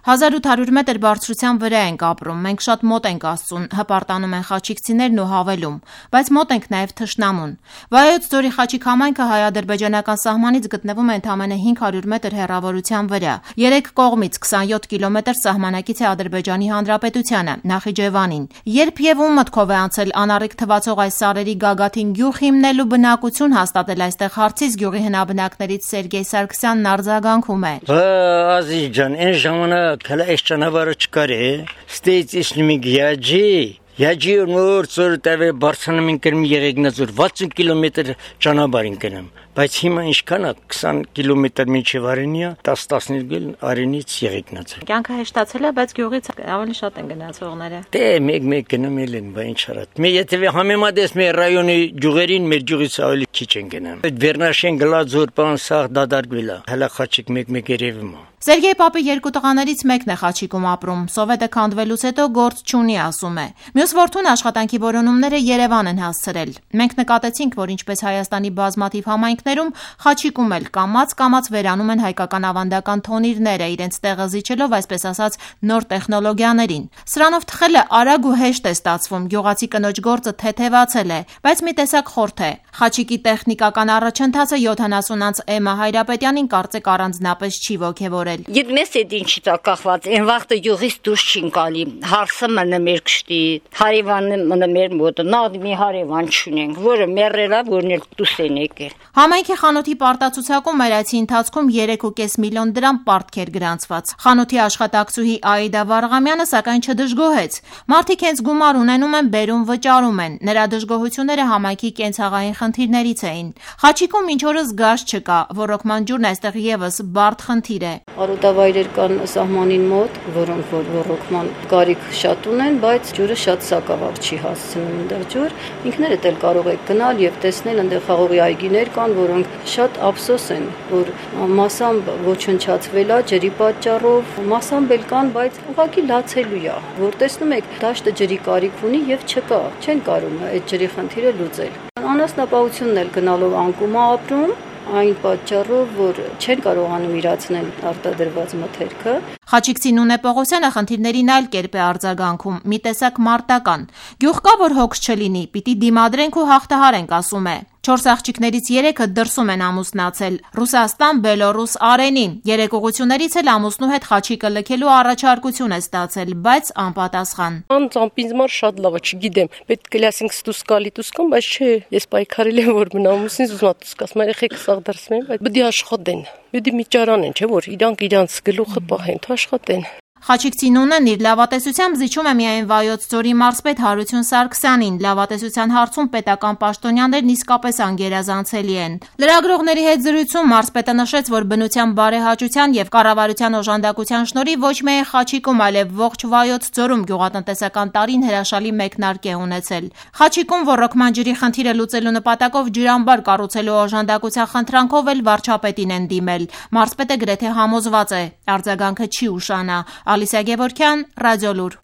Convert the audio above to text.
1800 մետր բարձրության վրա ենք ապրում, մենք շատ մոտ ենք Աստծուն, հպարտանում են խաչիկցիներն ու հավելում, բայց մոտ ենք նաև թշնամուն։ Վայոց ձորի Խաչիկ համայնքը հայ-ադրբեջանական սահմանից գտնվում է ընդամենը 500 մետր հեռավորության վրա։ Երեք կողմից 27 կիլոմետր սահմանակից է Ադրբեջանի Հանրապետությանը, Նախիջևանին։ Երբ եւ ում մտքով է անցել անառիկ թվացող այս սարերի գագաթին գյուղ հիմնելու բնակություն հաստատել այստեղ հարցից գյուղի հնաբնակներից Սերգեյ Սարգսյանն արձագանքում է։ Ազիզ ջան, այն ժամանակ Քալա այս ճանապարհը չկար է, ստեյց իսնիմիկ Յաջի նոր ծորտավե բարձրանում ենք կրմի եղեգնազոր 60 կիլոմետր ճանապարհ ենք գնում, բայց հիմա ինչքան է 20 կիլոմետր մինչև Արենիա, 10-15 Արենից եղեգնազոր։ Կյանքը հեշտացել է, բայց գյուղից ավելի շատ են գնացողները։ Դե մեկ գնամել են, բա ինչ արած։ Մի եթե համեմատես մեր ռայոնի գյուղերին, մեր գյուղից ավելի քիչ են գնում։ Այդ Վերնաշեն գլաձոր բան սաղ դադարվել է։ Հələ Խաչիկ մեկ երևում է։ Սերգեյ պապի երկու տղաներից մեկն է Խաչիկում ապրում, Սովետը քանդվելուց հետո գործ չունի, ասում է։ Մյուս որդուն աշխատանքի որոնումները Երևան են հասցրել։ Մենք նկատեցինք, որ ինչպես Հայաստանի բազմաթիվ համայնքներում, Խաչիկում էլ կամաց վերանում են հայկական ավանդական թոնիրները, իրենց տեղը զիջելով, այսպես ասած, նոր տեխնոլոգիաներին։ Սրանով թխելը արագ ու հեշտ է ստացվում, գյուղացի կնոջ գործը թեթևացել է, բայց մի տեսակ խորթ է։ Խաչիկի տեխնիկական առաջընթացը 70-անց Էմմա Հայրապետյանին կարծեք առանձնապես չի ոգևորել։ Գիտես էդ ինչի տա կախված, այն վաղտը յուղից դուրս չին գալի, հարսը մնը մեր կշտի, հարևանը մնը մեր մոտը, նավ մի հարևան չունենք, որը մեռելա, որն էլ դուս են եկել։ Համայնքի խանութի պարտացուցակում մեր այցի ընթացքում 3.5 միլիոն դրամ պարտք էր գրանցված։ Խանութի աշխատակցուհի Աիդա Վարղամյանը սակայն չդժգոհեց։ Մարդիկ հենց գումար ունենում են, բերում վճարում են։ Նրա դժգոհությունները համայնքի կենցաղային խնդիրներից էին։ Խաչիկում ինչ օրս գազ չկա, ոռոգման ջուրն այստեղ եւս բարդ խնդիր է։ Արոտավայրեր կան սահմանին մոտ, որոնք ոռոգման կարիք շատ ունեն, բայց ջուրը շատ սակավակ չի հասցնում այնտեղ ջուր։ Ինքներդ էլ կարող եք գնալ եւ տեսնել այնտեղ խաղողի այգիներ կան, որոնք շատ ափսոս են, որ մասամբ ոչնչացվել է ջրի պատճառով, մասամբ էլ կան, բայց ուղղակի լացելու է, որ տեսնում եք դաշտը ջրի կարիք ունի եւ չկա, չեն կարող այդ ջրի խնդիրը լուծել։ Անասնապահությունն էլ գնալով անկում է ապրում, այն պատճառով, որ չեն կարողանում իրացնել արտադրված մթերքը։ Խաչիկցի Նունե Պողոսյանը խնդիրներին այլ կերպ է արձագանքում, մի տեսակ մարտական։ Գյուղ կա, որ հոգս չլինի, պիտի դիմադրենք ու հաղթահարենք, ասում է։ 4 աղջիկներից 3-ը դրսում են ամուսնացել՝ Ռուսաստան, Բելորուս, Արենին։ 3 ուղղություններից էլ ամուսնու հետ Խաչիկը լքելու առաջարկություն է ստացել, բայց անպատասխան։ Անձամբ շատ լավ է, չգիտեմ, պետք է լասենք ստուս կան, բայց չէ, ես պայքարել եմ, որ մնա ամուսինս ուզում եմ ստուս կասեմ, երեխեք սաղ դրսում են, բայց պիտի աշխատեն, պիտի մի ճարան են, չէ՞ որ իրանք իրանց գլուխը պահեն, աշխատեն։ Խաչիկցի Նունեն իր լավատեսությամբ զիջում է միայն Վայոց ձորի մարզպետ Հարություն Սարգսյանին։ Լավատեսության հարցում պետական պաշտոնյաներն իսկապես անգերազանցելի են։ Լրագրողների հետ զրույցում մարզպետը նշեց, որ բնության բարեհաճության եւ կառավարության օժանդակության շնորհիվ ոչ միայն Խաչիկում, այլև ողջ Վայոց ձորում գյուղատնտեսական տարին հրաշալի մեկնարկ է ունեցել։ Խաչիկում ոռոգման ջրի խնդիրը լուծելու նպատակով ջրամբար կառուցելու օժանդակության խնդրանքով էլ վարչապետին են դիմել։ Մարզպետը գրեթե համոզված է, արձագանքը չի ուշանա։ Ալիսա Գևորգյան, Ռադիոլուր։